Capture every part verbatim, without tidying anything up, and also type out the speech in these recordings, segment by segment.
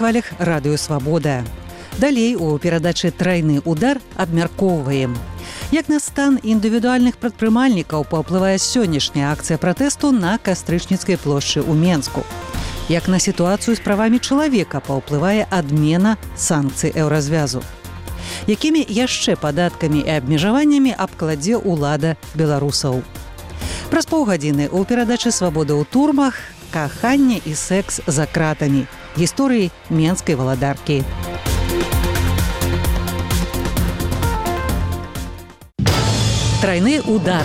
хвалях радыё Свабода. Далей у перадачы «Трайны удар» абмяркоўваем. Як на стан індывідуальных прадпрымальнікаў паўплывае сённяшняя акцыя пратэсту на Кастрычніцкай плошчы ў Менску. Як на сітуацыю з правамі чалавека паўплывае адмена санкцый еўразвязу. Якімі яшчэ падаткамі і абмежаваннямі абкладзе ўлада беларусаў. Праз паўгадзіны ў перадачы «Свабода ў турмах» каханне і секс за кратамі. Гісторыі менскай валадаркі. Трайны удар.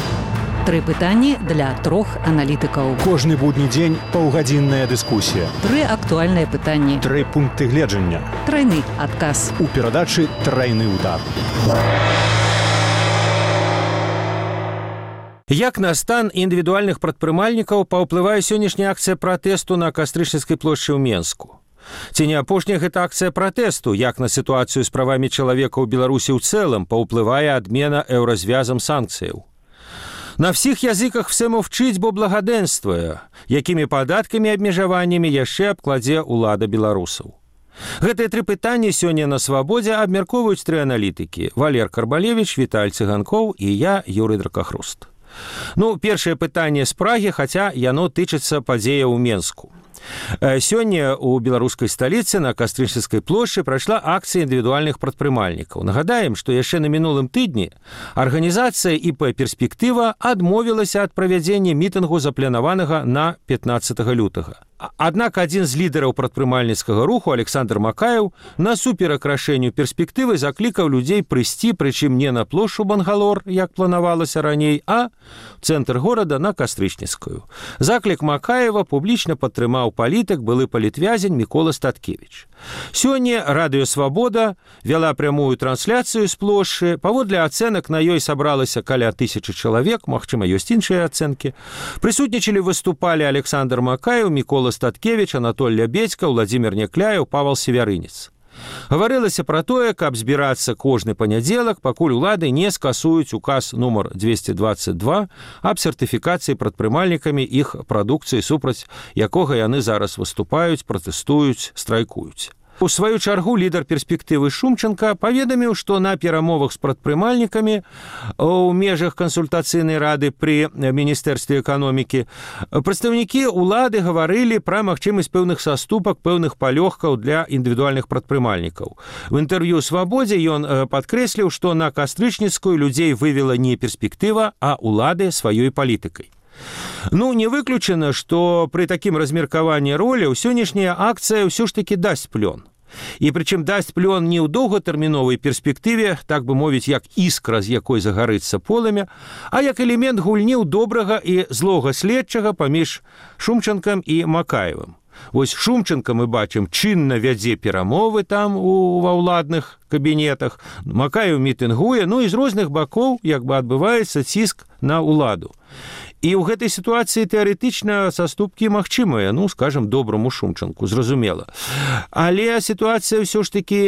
Тры пытанні для трох аналітыкаў. Кожны будні дзень паўгадзінная дыскусія. Тры актуальныя пытанні. Тры пункты гледжання. Трайны адказ. У перадачы «Трайны удар». Як на стан індывідуальных прадпрымальнікаў паўплывае сённяшняя акцыя пратэсту на Кастрычніцкай плошчы ў Менску? Ці не апошняя гэта акцыя пратэсту, як на сітуацыю з правамі чалавека ў Беларусі ў цэлым паўплывае адмена еўразвязам санкцыяў? На всіх языках все мовчить, бо благоденствуе, якімі падаткамі і абмежаваннямі яшчэ абкладзе ўлада беларусаў. Гэтыя тры пытанні сёння на Свабодзе абмяркоўваюць тры аналітыкі: Валер Карбалевіч, Віталь Цыганкоў і я, Юрый Дракахруст. Ну, першае пытанне з Прагі, хаця яно тычыцца падзеяў у Менску. Сёння у беларускай сталіцы на Кастрычніцкай плошчы прайшла акцыя індывідуальных прадпрымальнікаў. Нагадаем, што яшчэ на мінулым тыдні арганізацыя і пэ «Перспектыва» адмовілася ад правядзення мітынгу, запланаванага на пятнаццатага лютага. Аднак адзін з лідараў прадпрымальніцкага руху, Александр Макаеў, насуперак рашэнню «Перспектывы» заклікаў людзей прыйсці, прычым не на плошчу Бангалор, як планавалася раней, а цэнтр горада на Кастрычніцкую. Заклік Макаева публічна падтрымаў палітык, былы палітвязень Мікола Статкевіч. Сёння радыё «Свабода» вяла прямую трансляцыю з плошчы. Паводле ацэнак на ёй сабралася каля тысячы чалавек, магчыма, ёсць іншыя ацэнкі. Прысутнічалі, выступалі Александр Макаеў, Мікола Статкевіч, Анатоль Лябедзька, Владзімір Някляеў, Павал Севярынец. Гаварылася пра тое, каб збірацца кожны панядзелак, пакуль улады не скасуюць указ нумар двести двадцать два аб сертыфікацыі прадпрымальнікамі іх прадукцыі, супраць якога яны зараз выступаюць, пратэстуюць, страйкуюць. У сваю чаргу лідар «Перспектывы» Шумченко паведаміў, што на перамовах з прадпрымальнікамі ў межах кансультацыйнай рады пры Міністэрстве эканомікі прадстаўнікі ўлады гаварылі пра магчымасць пэўных саступак, пэўных палёгкаў для індывідуальных прадпрымальнікаў. В інтэрв'ю «Свабодзе» ён падкрэсліў, што на Кастрычніцкую людзей вывела не «Перспектыва», а ўлады сваёй палітыкай. Ну, не выключана, што пры такім размеркаванні роляў сённяшняя акцыя ўсё ж такі дасць плён. І прычым дасць плён не ў доўгатэрміновай перспектыве, так бы мовіць, як іскра, з якой загарыцца полымя, а як элемент гульні ў добрага і злога следчага паміж Шумчанкам і Макаевым. Вось Шумченко, мы бачым, чынна вядзе перамовы там у, ва ўладных кабінетах, Макаеў мітынгуе, ну і з розных бакоў як бы адбываецца ціск на ўладу. І ў гэтай сітуацыі тэарэтычна саступкі магчымыя, ну, скажам, добраму Шумчанку, зразумела. Але сітуацыя ўсё ж такі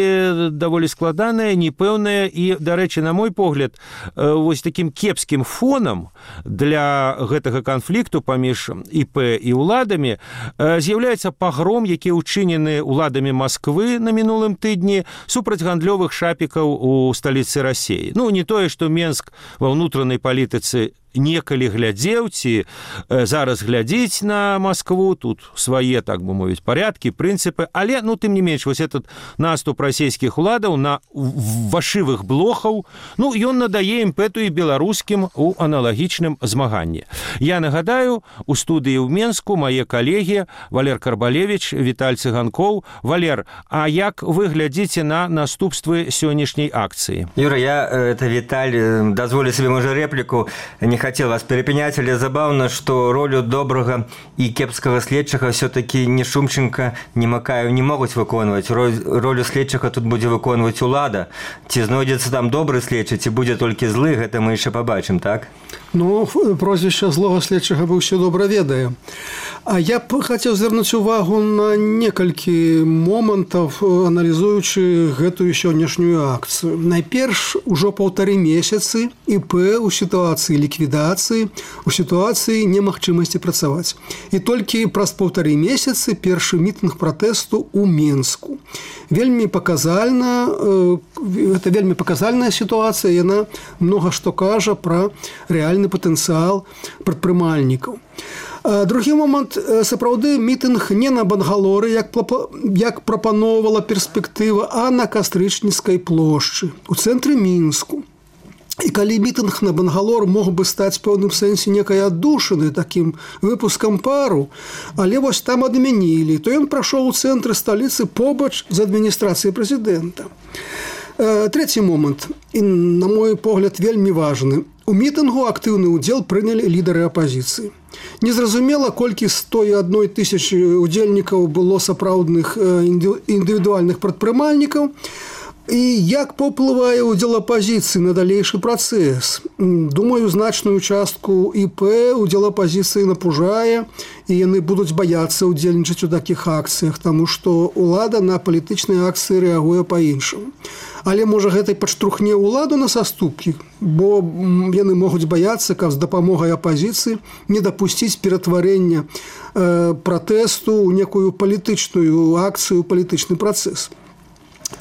даволі складаная, непэўная і, дарэчы, на мой погляд, вось такім кепскім фонам для гэтага канфлікту паміж і пэ і ўладамі з'яўляецца пагром, які ўчынены ўладамі Масквы на мінулым тыдні супраць гандлёвых шапікаў у сталіцы Расіі. Ну, не тое, што Менск ва ўнутранай палітыцы некалі глядзеў, ці зараз глядзіць на Маскву, тут свае, так бы мовіць, парядкі, прынцыпы, але, ну, тым не менш, вось этот наступ расійскіх уладаў на вашывых блохаў, ну, ён надае імпэту і беларускім у аналагічным змаганні. Я нагадаю, у студыі ў Менску мае калегі Валер Карбалевіч, Віталь Цыганкоў. Валер, а як вы глядзіце на наступствы сённяшняй акцыі? Юра, я, это Віталь, дазволю себе, можа, реплику, не хотел вас перепенять, але забавно, что ролю доброго и кепского следчага все-таки ни Шумченко, ни Макаев не могут выконывать. Роль, ролю следчага тут будет выконывать улада. Ці знойдется там добрый следчы, ці будет только злы, это мы еще побачим, так? Ну, прозвище злого следчага мы все добра ведаем. А я б хотел звярнуць увагу на некалькі момантов, аналізуючы гэтую сённяшнюю акцыю. Найперш, ужо паўтары месяцы ІП у сітуацыі ліквідацыі ліквідацыі у сітуацыі немагчымасці працаваць. І толькі праз паўтары месяцы першы мітынг пратэсту ў Менску. Вельмі паказальна, гэта вельмі паказальная сітуацыя, яна многа што кажа пра рэальны патэнцыял прадпрымальнікаў. Другі момант, сапраўды мітынг не на Бангалоры, як, як прапаноўвала перспектыва, а на Кастрычніцкай плошчы, у цэнтры Мінску. І калі мітынг на Бангалор мог бы стаць в пэўным сэнсе некай аддушыны такім выпускам пару, але вось там адмянілі, то ён прайшоў у цэнтры сталіцы побач з адміністрацыяй прэзідэнта. Трэці момант, і на мой погляд вельмі важны. У мітынгу актыўны ўдзел прынялі лідары апазіцыі. Незразумела, колькі сто адна тысяча удзельнікаў было сапраўдных індывідуальных прадпрымальнікаў, і як паўплывае ўдзел апазіцыі на далейшы працэс. Думаю, значную частку ІП ўдзел апазіцыі напужае, і яны будуць баяцца ўдзельнічаць у такіх акцыях, таму што ўлада на палітычныя акцыі рэагуе па-іншаму. Але, можа, гэта і падштурхне ўладу на саступкі, бо яны могуць баяцца, каб з дапамогай апазіцыі не дапусціць ператварэння э, пратэсту ў некую палітычную акцыю, палітычны працэс.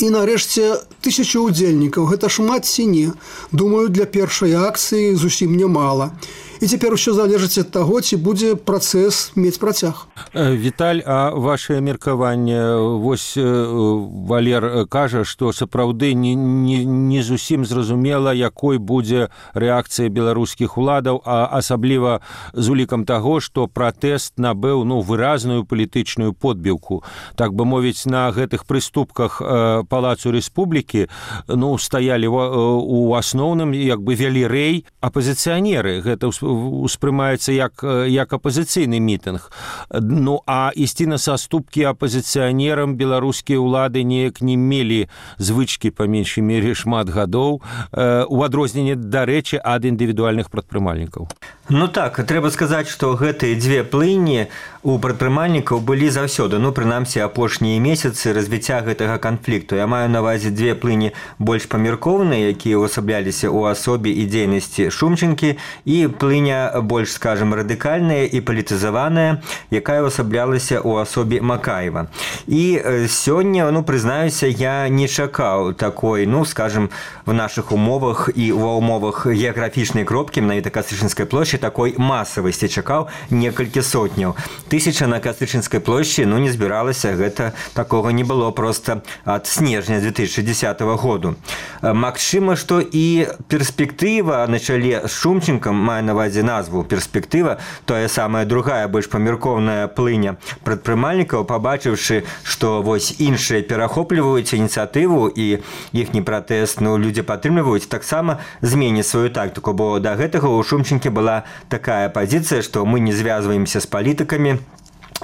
І, нарэшце, тысяча удзельнікаў. Гэта шмат ці не. Думаю, для першай акцыі зусім нямала. І цяпер усё залежыць ад таго, ці будзе працэс мець працяг. Віталь, а вашае меркаванне, вось Валер кажа, што сапраўды не, не, не зусім зразумела, якой будзе рэакцыя беларускіх уладаў, а асабліва з улікам таго, што пратэст набыў ну, выразную палітычную подбіўку. Так бы мовіць, на гэтых прыступках Палацу Рэспублікі ну, стаялі у асноўным, як бы вялі рэй апазіцыянеры. Гэта успрымаецца як, як апазіцыйны мітынг. Ну, а ісці на саступкі апазіцыянерам беларускія ўлады неяк не мелі звычкі, па меншай мере, шмат гадоў, у адрозненне, дарэчы, ад індывідуальных прадпрымальнікаў. Ну так, трэба сказаць, што гэтыя дзве плыні у прадпрымальнікаў былі заўсёды, ну, прынамсі, апошнія месяцы развіцця гэтага канфлікту. Я маю на ўвазе дзве плыні больш памяркоўныя, якія ўвасабляліся ў асобе і дзейнасці Шумчынкі, і плыня больш, скажем, радыкальная і палітызаваная, якая ўвасаблялася ў асобе Макаева. І сёння, ну, прызнаюся, я не чакаў такой, ну, скажем, в нашых умовах і ва умовах геаграфічнай кропкі, менавіта Кастрычніцкай плошчы, такой масавасці чакаў некалькі сотняў. Тысяча на Кастрычніцкай плошчы, ну, не збіралася, гэта такога не было проста ад снежня две тысячи десятого году. Магчыма, што і перспектыва на чале з Шумчынкам, мае на ўвазе назву перспектыва, тая самая другая, больш памяркоўная плыня прадпрымальнікаў, пабачыўшы, што вось іншыя перахопліваюць ініцыятыву і іхні пратэст, ну, людзі падтрымліваюць, таксама зменіць сваю тактыку, бо да гэтага ў Шумчынкі была такая пазіцыя, што мы не звязваемся з палітыкамі,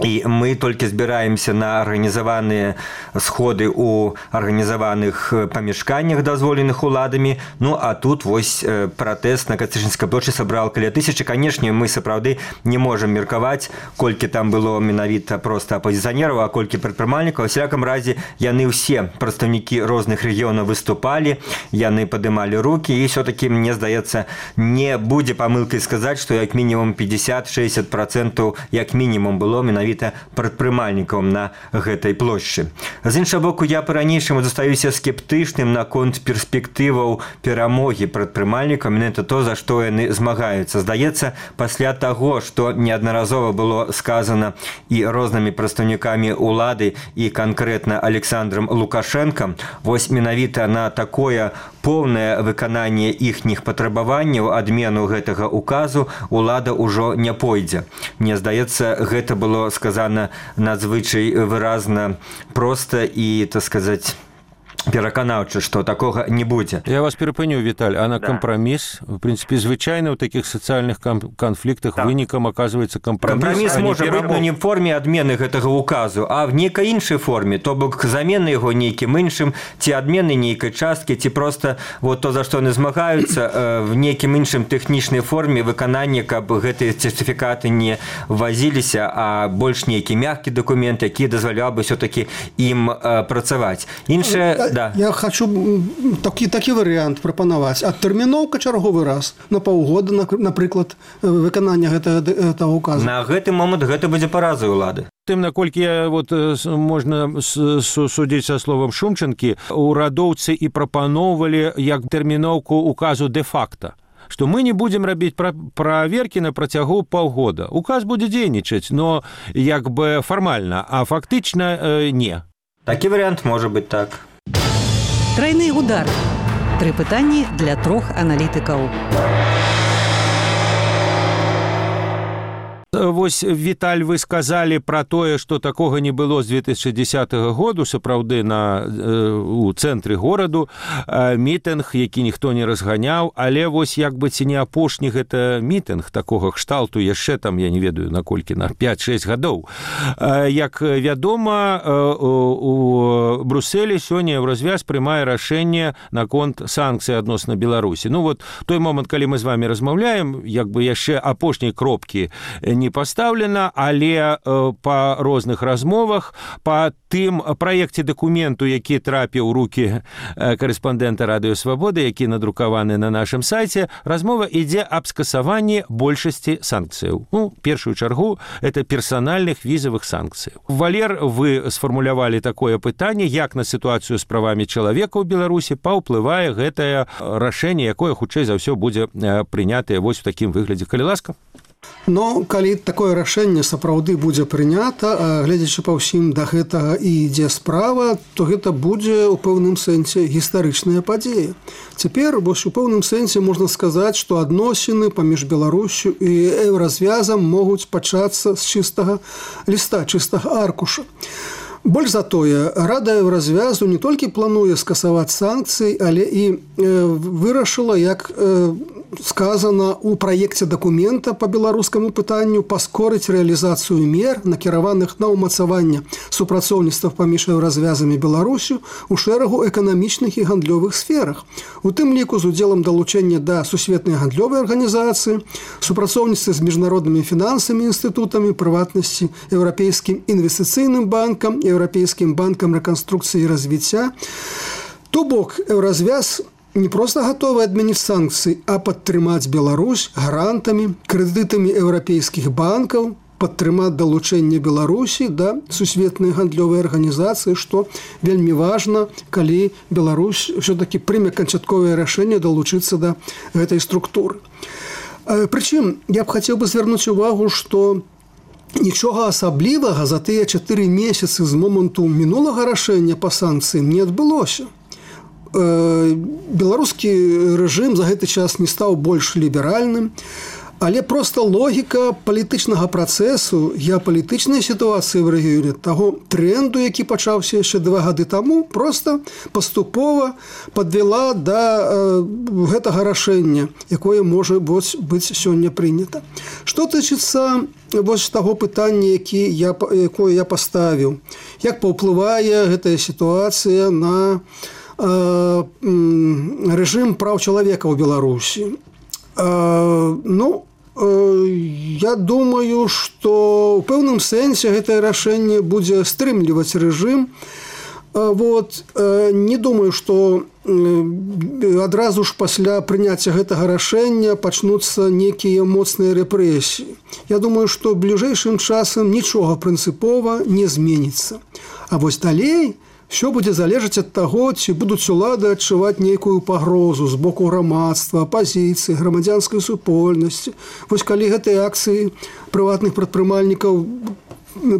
і мы толькі збіраемся на арганізаваныя сходы ў арганізаваных памяшканнях, дазволеных уладамі. Ну, а тут вось пратэст на Кастрычніцкай плошчы сабраў каля тысячы. Канешне, мы сапраўды не можам меркаваць, колькі там было менавіта проста апазіцыянераў, а колькі прадпрымальнікаў. У всяком разе, яны ўсе прадстаўнікі розных рэгіёнаў выступалі, яны падымалі рукі, і все-таки, мне здаецца, не будзе памылкай сказаць, што як мінімум пятьдесят-шестьдесят процентов як мінімум было менавіта прадпрымальнікам на гэтай плошчы. З іншага боку, я па-ранейшаму застаюся скептычным наконт перспектываў перамогі прадпрымальнікам, менавіта то, за што яны змагаюцца. Здаецца, пасля таго, што неаднаразова было сказана і рознымі прадстаўнікамі ўлады, і канкрэтна Александром Лукашенком, вось менавіта на такое поўнае выкананне іхніх патрабаванняў, адмену гэтага указу, улада ўжо не пойдзе. Мне здаецца, гэта было сказана надзвычай выразна, проста і, так сказаць, пераканаўча, што такога не будзе. Я вас перапыню, Віталь, а на да. кампраміс, в прынцыпе, звычайна ў такіх сацыяльных канфліктах да. вынікам аказваецца кампраміс. Кампраміс можа быць ну, не ў форме адмены гэтага указу, а в нейкай іншай форме, то бок замены яго нейкім іншым, ці адмены нейкай часткі, ці проста вот то, за што яны змагаюцца, в нейкім іншым тэхнічнай форме выканання, каб гэтыя сертыфікаты не ввазіліся, а больш нейкі мяккі дакумент, які дазваляў бы все-таки ім працаваць. Іншая да. я хочу такі, такі варыянт прапанаваць. Адтэрміноўка чарговы раз на паўгода, напрыклад, выканання гэтага, гэтага указу. На гэты момант гэта будзе паразай улады. Тым, наколькі я, вот, можна судзіць са словам Шумчанкі, урадоўцы і прапаноўвалі як тэрміноўку указу де-факта, што мы не будзем рабіць праверкі на працягу паўгода. Указ будзе дзейнічаць, но як бы фармальна, а фактычна э, не. Такі варыянт можа быць так. Трайны удар. Тры пытанні для трох аналітыкаў. Вось, Віталь, вы сказалі пра тое, што такога не было з две тысячы дзесятага году, сапраўды на, у цэнтры гораду, мітынг, які ніхто не разганяў, але вось як бы ці не апошні гэта мітынг такога кшталту яшчэ там, я не ведаю, наколькі, на пяць-шэсць гадоў. Як вядома, у Брусэлі сёння Еўразвяз прымае рашэнне наконт санкцый адносна Беларусі. Ну вот, той момант, калі мы з вами размаўляем, як бы яшчэ апошняй кропкі не пастаўлена, але э, па розных размовах, па тым праекце дакументу, які трапіў у рукі э, карэспандэнта Радыё Свабода, які надрукаваны на нашым сайце, размова ідзе аб скасаванні большасці санкцыяў. Ну, першую чаргу, это персанальных візавых санкцыяў. Валер, вы сфармулявалі такое пытанне, як на сітуацыю з правамі чалавека ў Беларусі паўплывае гэтае рашэнне, якое хутчэй за ўсё будзе прынятае вось у такім выглядзе. Калі ласка. Но калі такое рашэнне сапраўды будзе прынята, гледзячы па ўсім да гэтага і ідзе справа, то гэта будзе ў пэўным сэнсе гістарычная падзея. Цяпер вось у пэўным сэнсе можна сказаць, што адносіны паміж Беларусю і Еўразвязам могуць пачацца з чыстага ліста, чыстага аркуша. Больш за тое, Рада Еўразвязу не толькі плануе скасаваць санкцыі, але і вырашыла, як сказано у праекце дакумента по беларускаму пытанню, паскорыць рэалізацыю мер, накіраваных на ўмацаванне супрацоўніцтва паміж Еўразвязам і Беларусю у шэрагу эканамічных і гандлёвых сферах. У тым ліку з удзелам далучэння да сусветнай гандлёвай арганізацыі, супрацоўніцтва з міжнароднымі фінансамі інстытутамі, прыватнасці Еўрапейскім інвестыцыйным банкам, Еўрапейскім банкам рэканструкцыі і развіцця. То бок, Еўразвяз не проста гатовы адмяніць санкцыі, а падтрымаць Беларусь грантамі, крэдытамі еўрапейскіх банкаў, падтрымаць далучэнне Беларусі да сусветнай гандлёвай арганізацыі, што вельмі важна, калі Беларусь ўсё-такі прыме канчатковае рашэнне далучыцца да гэтай структуры. Прычым, я б хацеў бы звярнуць увагу, што нічога асаблівага за тыя чатыры месяцы з моманту мінулага рашэння па санкцыям не адбылося. Беларускі рэжым за гэты час не стаў больш ліберальным, але проста логіка палітычнага працэсу, геапалітычнай сітуацыі ў рэгіёне, таго тренду, які пачаўся яшчэ два гады таму, проста паступова падвяла да гэтага рашэння, якое можа быць сёння прынята. Што тычыцца вось таго пытання, які я, якое я паставіў, як паўплывае гэтая сітуацыя на рэжым праў чалавека ў Беларусі. Ну, я думаю, што ў пэўным сэнсе гэтае рашэнне будзе стрымліваць рэжым. Вот, не думаю, што адразу ж пасля прыняцця гэтага рашэння пачнуцца нейкія моцныя рэпрэсіі. Я думаю, што бліжэйшым часам нічога прынцыпова не зменіцца. А вось далей все будзе залежаць ад таго, ці будуць улады адчуваць нейкую пагрозу з боку грамадства, апазіцыі, грамадзянскай супольнасці. Вось калі гэтыя акцыі прыватных прадпрымальнікаў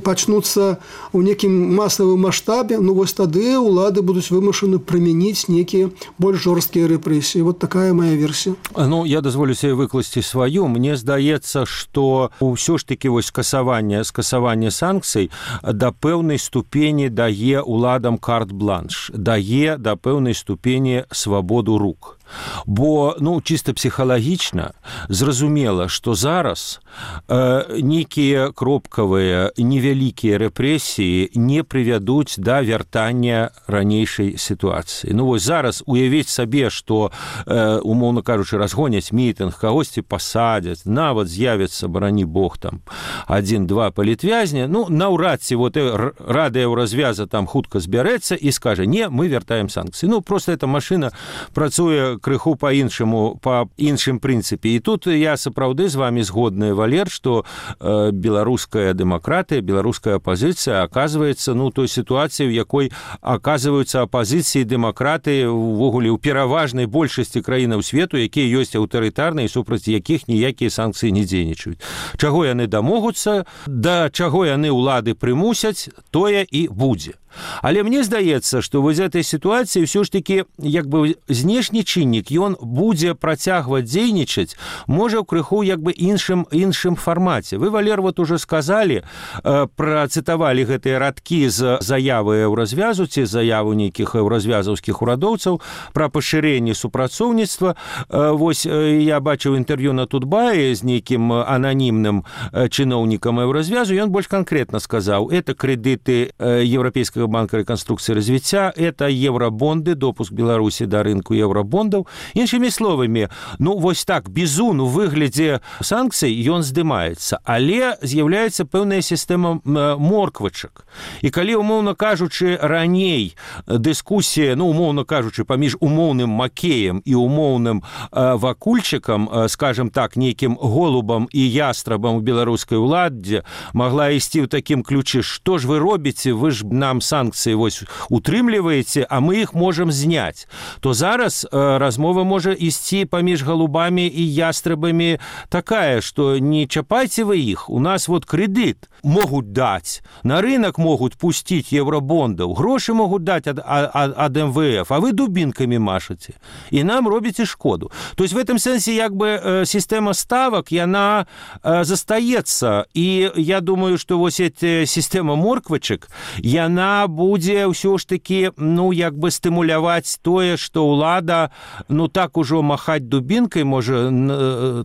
пачнуцца ў некім масавым маштабе, ну вось тады улады будуць вымушаны прымяніць нейкія больш жорсткія рэпрэсіі. Вот такая моя версія. Ну, я дазволю себе выкласці сваю. Мне здаецца, што ўсё ж такі вось скасаванне, скасаванне санкцый да пэўнай ступені дае уладам карт-бланш, дае да пэўнай ступені свабоду рук. Бо ну чисто псіхалагічна зразумела, што зараз э, нейкія кропкавыя невялікія рэпрэсіі не прывядуць да вяртання ранейшай сітуацыі. Ну вось зараз уявіць сабе, што э, умоўна кажучы разгоняць мітынг, кагосьці пасадзяць, нават з'явіцца, барані Бог, там адзін-два палітвязня, ну наўрад ці вот рада Еўразвяза там хутка збярэцца і скажа: не, мы вяртаем санкцыі. Ну просто эта машына працуе крыху по-іншаму, по іншым прынцыпе. І тут я сапраўды з вами згодны, Валер, што э, беларуская дэмакратыя, беларуская апазіцыя аказваецца ну той сітуацыі, у якой аказваюцца апазіцыі дэмакратыі увогуле ў пераважнай большасці краінаў свету, якія ёсць аўтарытарныя, супраць якіх ніякія санкцыі не дзейнічаюць. Чаго яны дамогуцца, да чаго яны ўлады прымусяць, тое і будзе. Але мне здаецца, што вось этой сітуацыі ўсё ж такі як бы знешні чыннік, ён будзе працягваць дзейнічаць, можа ў крыху як бы іншым іншым фармаце. Вы, Валер, вот уже сказалі, э, працытавалі гэтыя радкі з заявы Еўразвязу ці заяву нейкіх еўразвязаўскіх урадоўцаў пра пашырэнне супрацоўніцтва. Э, вось э, я бачыў інтэрв'ю на Тутбае з нейкім ананімным э, чыноўнікам Еўразвязу, ён больш канкрэтна сказаў: это крэдыты э, еўрапейскага банка реконструкции и развития, это евробонды, допуск Беларуси до рынку евробондов. Іншымі словамі, ну вось так, бізун у выглядзе санкцый, ён здымаецца, але з'яўляецца пэўная сістэма морквачак. І калі, умоўна кажучы, раней дыскусія, ну, умоўна кажучы, паміж умоўным Макеем і умоўным э, вакульчыкам, э, скажем так, нейкім голубам і ястрабам у беларускай уладзе могла ісці ў такім ключы: што ж вы робіце, вы ж нам санкцыі вось утрымліваеце, а мы іх можам зняць. То зараз э, размова можа ісці паміж голубамі і ястрабамі такая, што не чапайце вы іх, у нас вот крэдыт могуць даць, на рынок могуць пусціць евробондаў, грошы могуць даць ад, ад, ад эм вэ эф, а вы дубінкамі машаце і нам робіце шкоду. То есть в этом сэнсе як бы э, сістэма ставак, яна э, застаецца, і я думаю, што вось эта сістэма морквачак, яна будзе ўсё ж такі, ну, як бы стымуляваць тое, што ўлада, ну, так ужо махаць дубінкай, можа,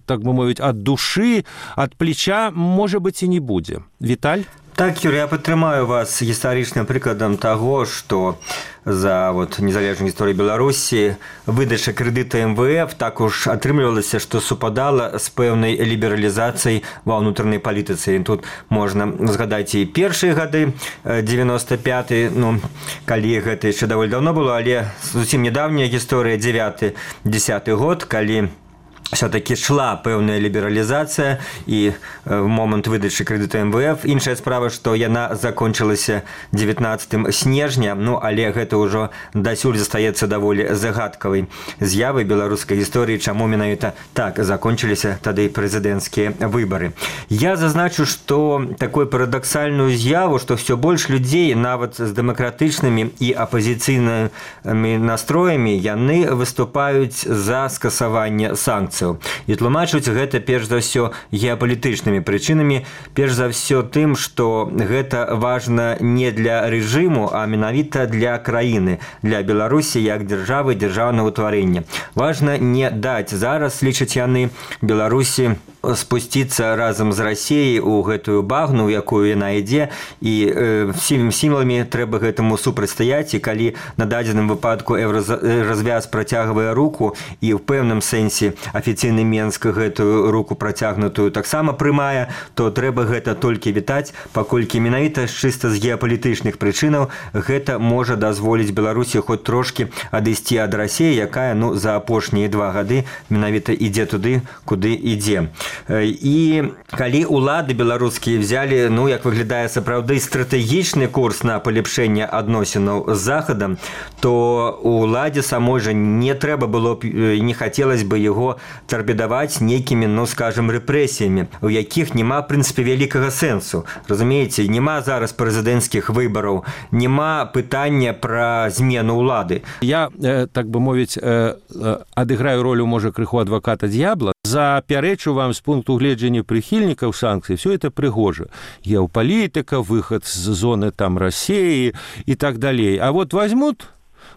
так бы мовіць, ад душы, ад плеча, можа быць, і не будзе. Віталь? Так, Юрий, я падтрымаю вас гістарычным прыкладам таго, што за вот, незалежную гісторыю Беларусі выдача крэдыта эм вэ эф так уж атрымлівалася, што супадала з пэўнай лібералізацыяй ва ўнутранай палітыцы. Тут можна згадаць і першыя гады, девяносто пятый, ну, калі гэта яшчэ даволі даўно было, але зусім нядаўняя гісторыя, девяты десяты год, калі все-таки шла пэўная лібералізацыя і в момант выдачы крэдыта эм вэ эф. Іншая справа, што яна закончылася девятнадцатым снежня, ну, але гэта ўжо дасюль застаецца даволі загадкавай з'явай беларускай гісторыі, чаму менавіта так закончыліся тады прэзідэнцкія выбары. Я зазначу, што такую парадаксальную з'яву, што ўсё больш людзей, нават з дэмакратычнымі і апазіцыйнымі настроямі, яны выступаюць за скасаванне санкцый. І тлумачуць гэта перш за ўсё геапалітычнымі прычынамі, перш за ўсё тым, што гэта важна не для рэжыму, а менавіта для краіны, для Беларусі як дзяржавы, дзяржаўнага ўтварэння. Важна не даць зараз, лічаць яны, Беларусі спусціцца разам з Расіяй у гэтую багну, якую яна ідзе, і э, всімі сімаламі трэба гэтаму супрацьстаяць, і калі на дадзеным выпадку Еўразвяз працягвае руку, і ў пэўным сэнсе афіцыйны Менск гэтую руку працягнутую таксама прымае, то трэба гэта толькі вітаць, паколькі менавіта чыста з геапалітычных прычынаў гэта можа дазволіць Беларусі хоць трошкі адысці ад Расіі, якая, ну, за апошнія два гады менавіта ідзе туды, куды ідзе. І калі ўлады беларускія взялі, ну, як выглядае сапраўды стратэгічны курс на палепшэнне адносінаў з Захадам, то уладзе самой жа не трэба было, не хацелось бы яго тарпедаваць нейкімі, ну, скажем, рэпрэсіямі, у якіх няма, в прынцыпе, вялікага сэнсу. Разумееце, няма зараз прэзідэнцкіх выбараў, няма пытання пра змену ўлады. Я, э, так бы мовіць, э, адыграю ролю, можа, крыху адваката д'ябла. Запярэчу вам з пункту гледжання прыхільнікаў санкцый, все это прыгожа. Геапалітыка, выхад з зоны там Расіі і так далей. А вот возьмут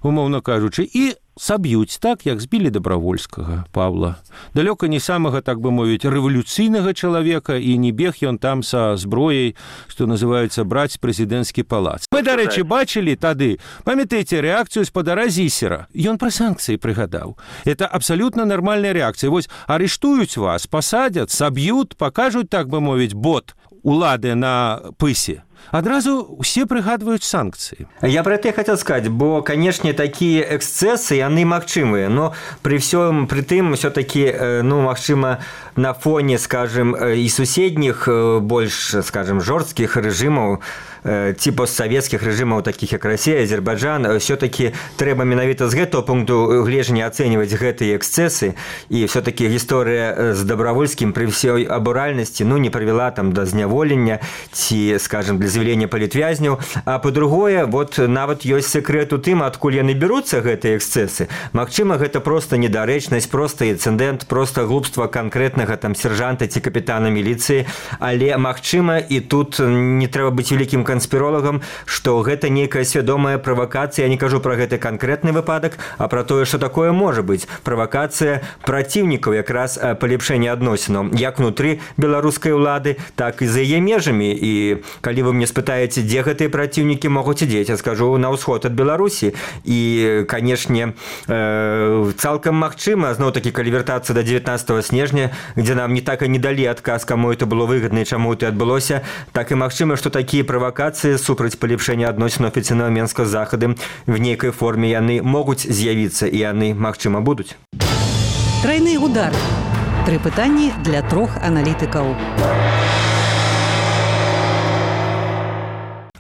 умоўна кажучы, і саб'юць так, як збілі Добравольскага Павла. Далёка не самага, так бы мовіць, рэвалюцыйнага чалавека, і не бег ён там са зброяй, што называецца браць прэзідэнцкі палац. Мы, дарэчы, бачылі тады, памятаеце, рэакцыю спадара Зісера. Ён пра санкцыі прыгадаў. Это абсалютна нармальная рэакцыя. Вось арыштуюць вас, пасадзяць, саб'ют, пакажуць, так бы мовіць, бот улады на пысе. Адразу все прыгадваюць санкцыі. Я про это хотел сказать, бо, конечно, такие эксцессы, яны магчымыя, но при всем при тым все-таки, ну, магчыма, на фоне, скажем, и суседних, больш, скажем, жорсткіх рэжымаў, ці постсавецкіх рэжымаў, такіх як Расія, Азербайджан, все-таки трэба менавіта з гэтага пункту гледжання ацэньваць гэтыя эксцессы, і все-таки гісторыя з Добравольскім при всей абуральнасці, ну, не прывяла там да зняволення ці, скажем, для з'яўлення палітвязняў, а па-другое, вот нават ёсць секрэт у тым, адкуль яны бяруцца гэтыя эксцессы. Магчыма, гэта проста недарэчнасць, проста інцыдэнт, проста глупства канкрэтнага там сержанта ці капітана міліцыі, але магчыма, і тут не трэба быць вялікім канспіролагам, што гэта нейкая свядомая правакацыя. Я не кажу пра гэты канкрэтны выпадак, а пра тое, што такое можа быць. Правакацыя праціўнікаў якраз палепшэння адносінаў як внутры беларускай улады, так і за яе межамі. І калі вы мне спытаеце, дзе гэтыя праціўнікі могуць ідзець, я скажу, на ўсход ад Беларусі. І, канешне, цалкам магчыма, зноў-такі, калі вяртацца да дзевятнаццатага снежня, дзе нам не так і не далі адказ, каму это было выгадна і чаму это адбылося, так і магчыма, што такія правакацыі супраць палепшэння адносінаў афіцыйнага Менска з захадам в нейкай форме яны могуць з'явіцца, і яны, магчыма, будуць. Трайны удар. Тры пытанні для трох аналітыкаў.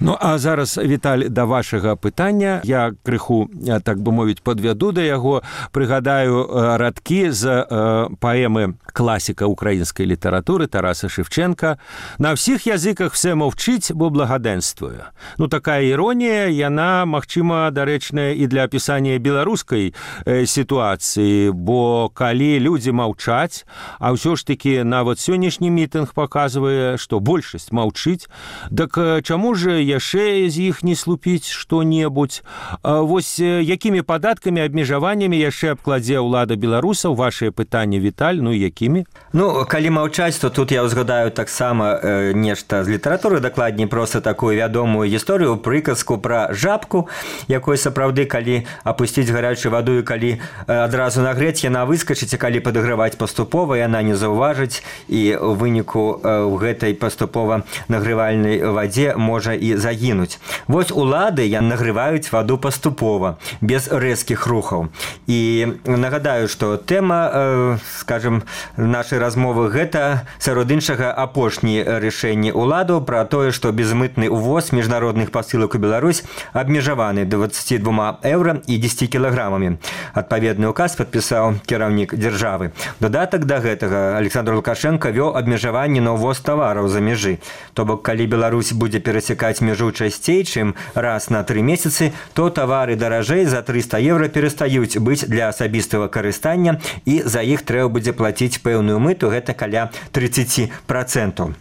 Ну, а зараз, Віталь, да вашага пытання. Я крыху, так бы мовіць, падвяду да яго. Прыгадаю радкі з э, паэмы класіка украінскай літаратуры Тараса Шевченка. На ўсіх языках все мовчыць, бо благадэнствуе. Ну, такая іронія, яна, магчыма, дарэчная і для апісання беларускай э, сітуацыі, бо калі людзі маўчаць, а ўсё ж такі нават сённяшні мітынг паказвае, што большасць маўчыць, дак чаму ж яшчэ з іх не слупіць што-небудзь? Вось якімі падаткамі, абмежаваннямі яшчэ абкладзе ўлада беларусаў? Вашыя пытанні, Віталь, ну якімі? Ну, калі маўчаць, то тут я ўзгадаю таксама э, нешта з літаратуры, дакладней проста такую вядомую гісторыю, прыказку пра жабку, якой сапраўды, калі апусціць гарячую ваду і калі э, адразу нагрэць, яна выскачыць, і калі падаграваць паступова, яна не заўважыць, і ў выніку э, ў гэтай паступова нагревальнай вадзе можа і загінуць. Вось улады нагреваюць ваду паступова, без рэзкіх рухаў. І нагадаю, што тэма, э, скажем, нашай размовы гэта, сярод іншага, апошні рашэнні уладу пра тое, што безмытны увоз міжнародных пасылак у Беларусь абмежаваны дваццаці двума еўра і дзесяці кілаграмамі. Адпаведны указ падпісаў кіраўнік дзяржавы. Дадатак да гэтага Александр Лукашенко вёў абмежаванне на ўвоз тавараў за мяжы. То бок, калі Беларусь будзе перасякаць мяжу часцей, чым раз на тры месяцы, то тавары даражэй за трыста еўра перастаюць быць для асабістага карыстання, і за іх трэба будзе плаціць пэўную мыту, гэта каля тридцать процентов.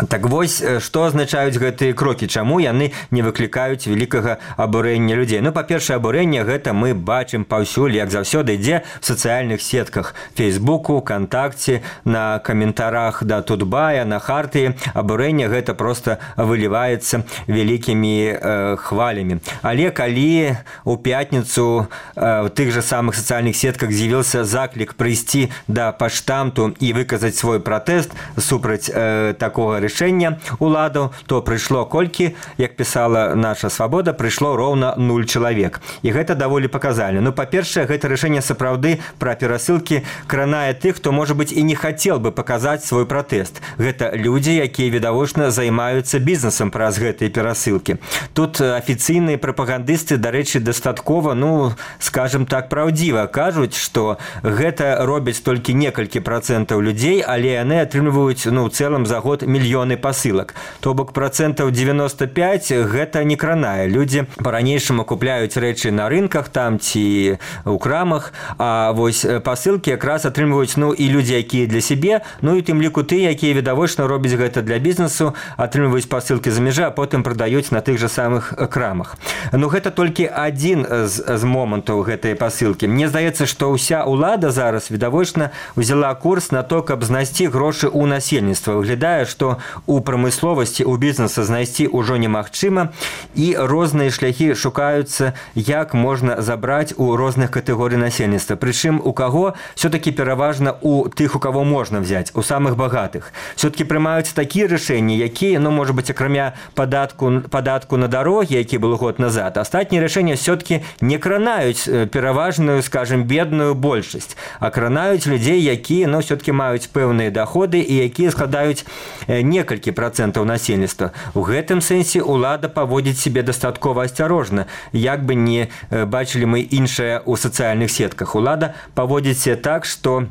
Так вось, што азначаюць гэтыя крокі, чаму яны не выклікаюць вялікага абурэння людзей? Ну, па-першае, абурэнне гэта мы бачым паўсюль, як заўсёды ідзе в сацыяльных сетках, Фейсбуку, ВКонтакце, на каментарах да Тутбая, на Хартыі. Абурэнне гэта проста выліваецца вялікімі э, хвалямі. Але калі у пятніцу э, в тых жа самых сацыяльных сетках з'явіўся заклік прыйсці да паштамту і выказаць свой пратэст супраць э, такога рашэння уладаў, то прыйшло колькі, як пісала наша Свабода, прыйшло роўна нуль чалавек. І гэта даволі паказальна. Ну, па-першае, гэта рашэнне сапраўды пра перасылкі кранае тых, хто, можа быць, і не хацеў бы паказаць свой пратэст. Гэта людзі, якія відавочна займаюцца бізнесам праз гэтыя перасылкі. Тут афіцыйныя прапагандысты, дарэчы, дастаткова, ну, скажем так, праўдзіва кажуць, што гэта робяць толькі некалькі працэнтаў людзей, але яны атрымліваюць, ну, ў цэлым за год мільёны мільёны пасылак. То бок процентаў девяносто пять гэта не кранае. Людзі па-ранейшаму купляюць рэчы на рынках там ці ў крамах, а вось пасылкі якраз атрымліваюць ну і людзі, якія для сябе, ну і тым ліку ты, якія відавочна робяць гэта для бізнесу, атрымліваюць пасылкі за мяжы, а потым прадаюць на тых жа самых крамах. Ну гэта толькі адзін з, з момантаў гэтай пасылкі. Мне здаецца, што ўся ўлада зараз відавочна взяла курс на то, каб знайсці грошы ў насельніцтва. Выглядае, што у прамысловасці, у бізнеса знайсці ўжо немагчыма, і розныя шляхі шукаюцца, як можна забраць у розных катэгорый насельніцтва. Прычым у каго все-таки пераважна у тых, у кого можна взять, у самых багатых. Все-таки прымаюцца такія рашэнні, якія, ну, может быть, акрамя падатку, падатку на дарогі, які был год назад, астатнія рашэнні все-таки не кранаюць пераважную, скажем, бедную большасць, а кранаюць людзей, якія, ну, все-таки маюць пэўныя доходы і якія складаюць некалькі процентаў насельніцтва. У гэтым сэнсе улада паводзіць себе дастаткова асцярожна, як бы не бачылі мы іншае ў сацыяльных сетках. Улада паводзіць себе так, што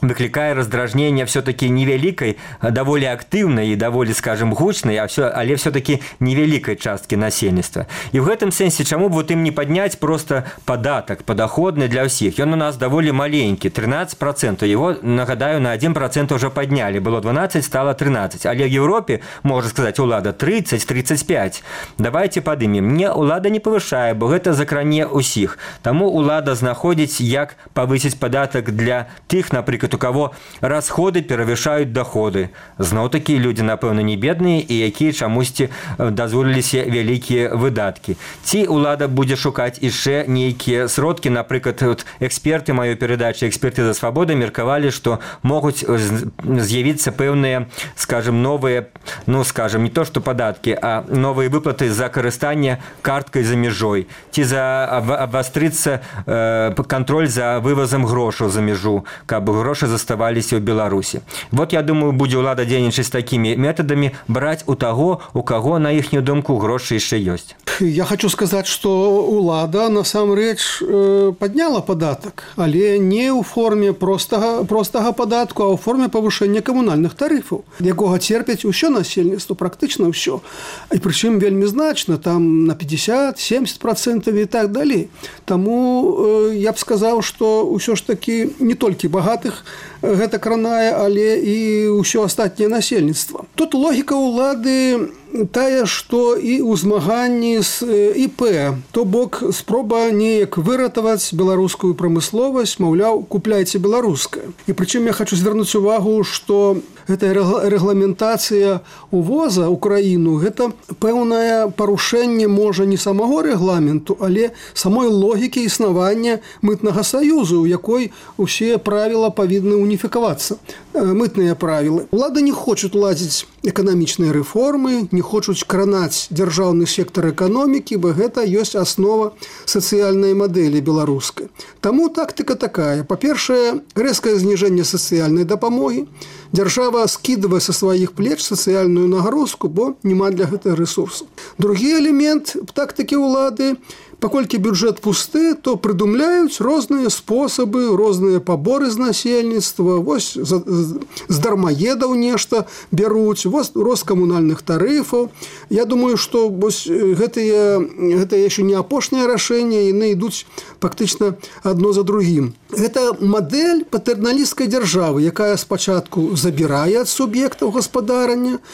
выклікае раздражнение все-таки невялікай, даволі актыўнай і даволі, скажем, гучнай, а все, але все-таки невялікай часткі насельніцтва. І в гэтым сэнсе, чаму б вот ім не падняць просто падатак падаходны для ўсіх? Ён у нас даволі маленькі, тринадцать процентов. Его, нагадаю, на один процент уже паднялі. Было двенадцать, стало тринадцать. Але в Европе, можна сказаць, улада тридцать тридцать пять. Давайте падымем. Не, улада не павышае, бо гэта закране ўсіх. Таму улада знаходзіць, як павысіць падатак для тых, напрыклад, у кого расходы перавышаюць доходы. Зноў такі людзі, напэўна, не бедныя і якія чамусьці дазволіліся вялікія выдаткі. Ці улада будзе шукаць яшчэ нейкія сродкі, напрыклад, вот, эксперты маёй перадачы «Эксперты за свабоду» меркавалі, што могуць з'явіцца пэўныя, скажем, новыя, ну, скажем, не то што падаткі, а новыя выплаты за карыстанне карткай за мяжой, ці за абвастрыцца э, кантроль за вывазам грошаў за мяжу, каб грошы заставаліся ў Беларусі. Вот, я думаю, будзе ўлада дзейнічаць такімі метадамі, браць у таго, у каго, на іхнюю думку, грошы яшчэ ёсць. Я хочу сказаць, што ўлада насамрэч падняла падатак, але не ў форме простага, простага падатку, а ў форме павышэння камунальных тарыфаў, якога церпяць усё насельніцтва, практычна ўсё. І прычым вельмі значна, там на пятьдесят семьдесят процентов і так далей. Таму я б сказаў, што ўсё ж такі не толькі багатых гэта кранае, але і ўсё астатняе насельніцтва. Тут логіка ўлады тая, што і ў змаганні з ІП, то бок спроба неяк выратаваць беларускую прамысловасць, маўляў, купляйце беларускае. І прычым я хочу звярнуць увагу, што гэтая рэгламентацыя увоза ў краіну, гэта пэўнае парушэнне, можа, не самого рэгламенту, але самой логікі існавання мытнага саюзу, у якой усе правіла павінны уніфікавацца. Мытныя правілы. Улада не хочуць ладзіць эканамічныя рэформы, не хочуць кранаць дзяржаўны сектар эканомікі, бо гэта ёсць аснова сацыяльнай мадэлі беларускай. Таму тактыка такая. Па-першае, рэзкае зніжэнне сацыяльнай дапамогі. Дзяржава скідвае са сваіх плеч сацыяльную нагрузку, бо няма для гэтага рэсурсу. Другі элемент тактыкі ўлады, паколькі бюджэт пусты, то прыдумляюць розныя спосабы, розныя паборы з насельніцтва, вось з дармаедаў нешта бяруць, вось рост камунальных тарыфаў. Я думаю, што гэтыя, гэта яшчэ не апошняе рашэнне, яны ідуць фактычна адно за другім. Гэта мадэль патэрналісцкай дзяржавы, якая спачатку забірае ад суб'ектаў гаспадарання,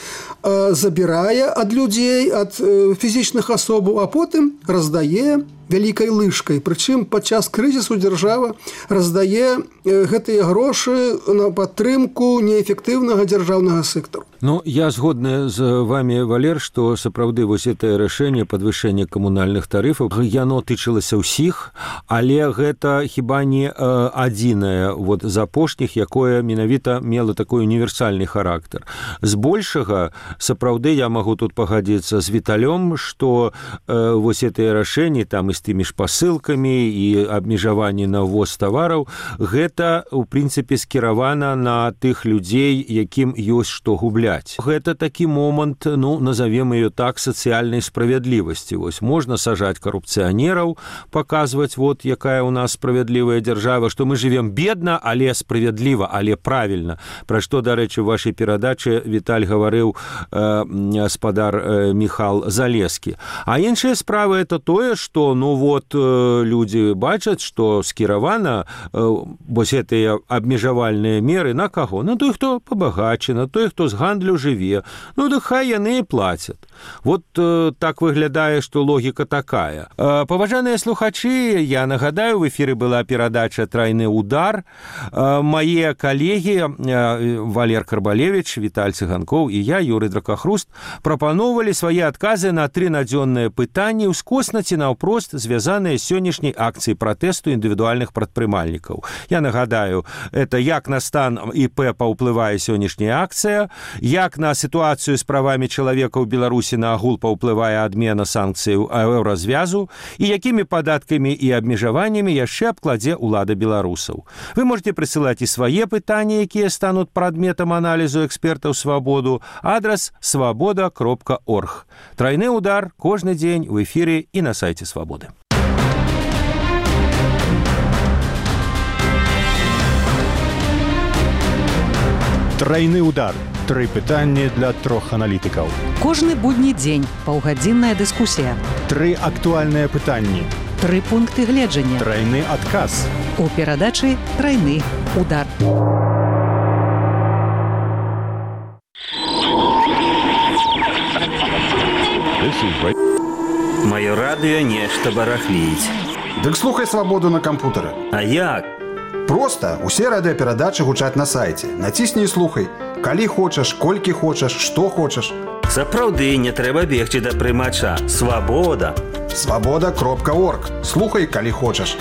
забірае ад людзей, ад фізічных асобаў, а потым раздае вялікай лыжкай. Прычым падчас крызісу дзяржава раздае гэтыя грошы на падтрымку неэфектыўнага дзяржаўнага сектару. Ну, я згодны з вами, Валер, што сапраўды вось гэтае рашэнне падвышэння камунальных тарыфаў, яно тычылася ўсіх, але гэта хіба не адзінае вот з апошніх, якое менавіта мела такой універсальны характар. Збольшага, сапраўды, я магу тут пагадзіцца з Віталём, што э, вось гэтыя рашэнні там і з тымі ж пасылкамі і абмежаванні на ввоз тавараў, гэта, у прынцыпе, скіравана на тых людзей, якім ёсць што губляць. Гэта такі момант, ну, назовем ее так, сацыяльнай справядлівасці. Вось, можна сажаць карупцыянераў, паказваць, вот, якая у нас справядлівая дзяржава, што мы живем бедна, але справядліва, але правільна. Пра што, дарэчы, у вашай перадачы Віталь гаварыў э, гаспадар э, Міхал Залескі. А іншая справа это тое, што, ну вот, э, людзі бачаць, што скіравана э, вось гэтыя абмежавальныя меры на каго? На той, хто пабагачы, на той, хто з гандлю жыве. Ну, да хай яны і плацяць. Вот э, так выглядае, што логіка такая. Э, паважаныя слухачы, я нагадаю, в эфіры была перадача «Трайны удар». Э, мае калегі э, Валер Карбалевич, Віталь Цыганкоў і я, Юрый Дракахруст, прапаноўвалі свае адказы на тры надзённыя пытанні ўскосна ці наўпрост звязаныя з сённяшняй акцыяй пратэсту індывідуальных прадпрымальнікаў. Я нагадаю, это як на стан ІП паўплывае сённяшняя акцыя, як на сітуацыю з правамі чалавека ў Беларусі на агул паўплывае адмена санкцыяў еўразвязу і якімі падаткамі і абмежаваннямі яшчэ абкладзе ўлада беларусаў. Вы можете прысылаць і свае пытанні, якія стануць прадметам аналізу экспертаў «Свабоду». Адрес свобода кропка орг. Тройны удар кожны дзень в эфире и на сайте «Свободы». Тройны удар. Тры пытанні для трох аналітыкаў. Кожны будні дзень паўгадзінная дыскусія. Тры актуальныя пытанні. Тры пункты гледжання. Тройны адказ. У перадачы «Тройны удар». Маё радыё нешта барахліць. Дык слухай «Свабоду» на кампутары. А як? Проста усе радыёперадачы гучаць на сайце. Націсні і слухай. Калі хочаш, колькі хочаш, што хочаш. Сапраўды не трэба бегчы да прымача. Свабода. свобода кропка орг. Слухай, калі хочаш.